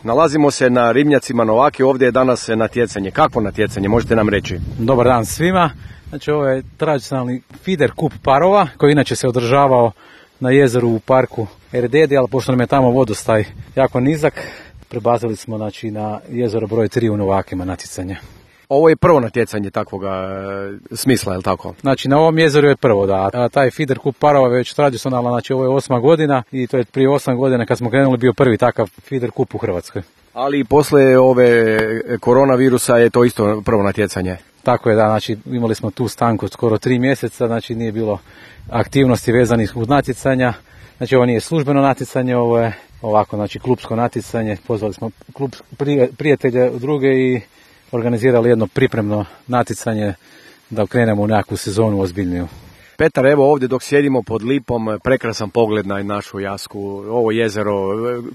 Nalazimo se na ribnjacima Novake, ovdje je danas natjecanje. Kakvo natjecanje, možete nam reći? Dobar dan svima. Znači, ovo je tradicionalni feeder kup parova koji inače se održavao na jezeru u parku Erdedi, ali pošto nam je tamo vodostaj jako nizak, prebazili smo na jezero broj 3 u Novakima natjecanje. Ovo je prvo natjecanje takvoga smisla, je li tako? Znači, na ovom jezeru je prvo, da. A taj feeder kup parova je već tradicionalno, znači ovo je 8. godina i to je prije 8 godina kad smo krenuli bio prvi takav feeder kup u Hrvatskoj. Ali poslije ove koronavirusa je to isto prvo natjecanje. Tako je, da, znači imali smo tu stanku skoro 3 mjeseca, znači nije bilo aktivnosti vezanih uz natjecanja. Znači ovo nije službeno natjecanje, ovo je ovako, znači klupsko natjecanje. Pozvali smo klub prijatelja druge i organizirali jedno pripremno natjecanje da okrenemo u nekakvu sezonu ozbiljniju. Petar, evo ovdje dok sjedimo pod lipom, prekrasan pogled na našu Jasku, ovo jezero,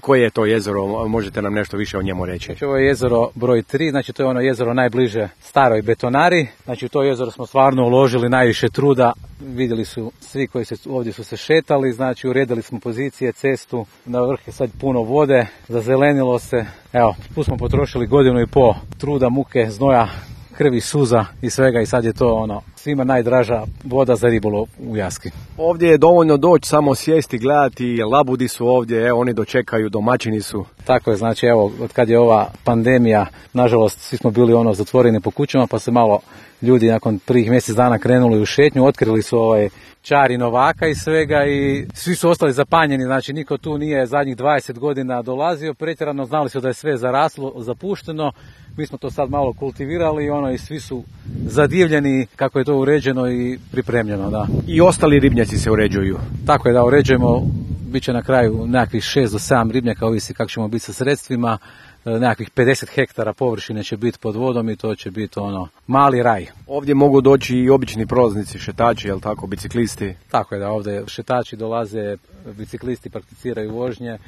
koje je to jezero, možete nam nešto više o njemu reći? Znači, ovo je jezero broj 3, znači to je ono jezero najbliže staroj betonari, znači u to jezero smo stvarno uložili najviše truda, vidjeli su svi koji ovdje su se šetali, znači uredili smo pozicije, cestu, na vrh je sad puno vode, zazelenilo se, evo, tu smo potrošili 1,5 godine truda, muke, znoja, krvi, suza i svega i sad je to svima najdraža voda za ribolov u Jaski. Ovdje je dovoljno doći, samo sjesti, gledati, labudi su ovdje, evo oni dočekaju, domaćini su. Tako je, znači evo, od kad je ova pandemija, nažalost svi smo bili zatvoreni po kućama, pa se malo ljudi nakon prvih mjesec dana krenuli u šetnju, otkrili su čari Novaka i svega i svi su ostali zapanjeni, znači niko tu nije zadnjih 20 godina dolazio pretjerano, znali su da je sve zaraslo, zapušteno. Mi smo to sad malo kultivirali i svi su zadivljeni kako je to uređeno i pripremljeno, da. I ostali ribnjaci se uređuju? Tako je, da, uređujemo, bit će na kraju nekakvih 6 do 7 ribnjaka, ovisi kako ćemo biti sa sredstvima, nekakvih 50 hektara površine će biti pod vodom i to će biti mali raj. Ovdje mogu doći i obični prolaznici, šetači, jel tako, biciklisti? Tako je, da, ovdje šetači dolaze, biciklisti prakticiraju vožnje,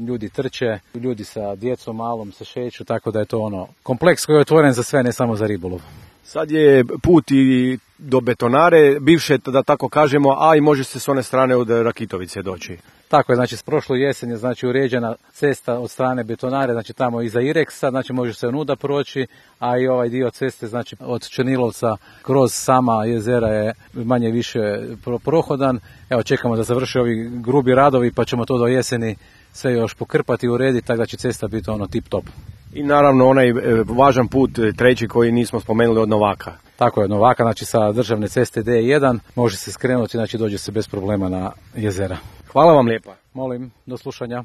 ljudi trče, ljudi sa djecom malom se šeću, tako da je to kompleks koji je otvoren za sve, ne samo za ribolov. Sad je put i do betonare, bivše, da tako kažemo, a i može se s one strane od Rakitovice doći. Tako je, znači s prošlu jesen je uređena cesta od strane betonare, znači tamo iza Ireksa, znači može se onuda proći, a i ovaj dio ceste, znači od Črnilovca kroz sama jezera je manje više prohodan. Evo, čekamo da završe ovi grubi radovi pa ćemo to do jeseni sve još pokrpati i urediti, tako da će cesta biti tip top. I naravno onaj važan put, treći koji nismo spomenuli, od Novaka. Tako je, od Novaka, znači sa državne ceste D1 može se skrenuti, znači dođe se bez problema na jezera. Hvala vam lijepa. Molim, do slušanja.